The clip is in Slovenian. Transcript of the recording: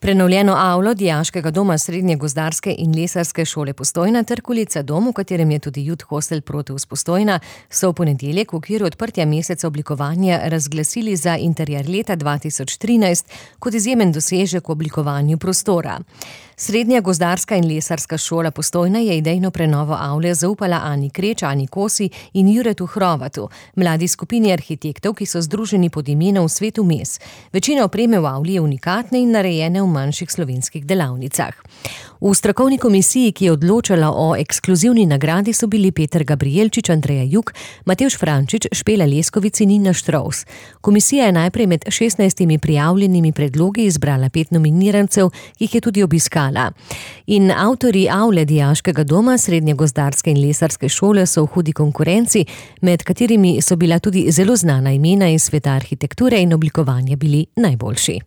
Prenovljeno avlo Dijaškega doma Srednje gozdarske in lesarske šole Postojna ter Kulica dom, v katerem je tudi Youth Hostel Proteus Postojna, so v ponedeljek v okviru odprtja meseca oblikovanja razglasili za interier leta 2013 kot izjemen dosežek v oblikovanju prostora. Srednja gozdarska in lesarska šola Postojna je idejno prenovo avle zaupala Ani Kreč, Ani Kosi in Juretu Hrovatu, mladi skupini arhitektov, ki so združeni pod imenom Svet vmes. Večina opreme v avli je unikatne in narejene v manjših slovenskih delavnicah. V strokovni komisiji, ki je odločala o ekskluzivni nagradi, so bili Peter Gabrielčič, Andreja Jug, Matevž Frančič, Špela Leskovic in Nina Štrovs. Komisija je najprej med 16 prijavljenimi predlogi izbrala 5 nominirancev, ki jih je tudi obiskala. In avtorji avle Dijaškega doma Srednje gozdarske in lesarske šole so v hudi konkurenci, med katerimi so bila tudi zelo znana imena iz sveta arhitekture in oblikovanja bili najboljši.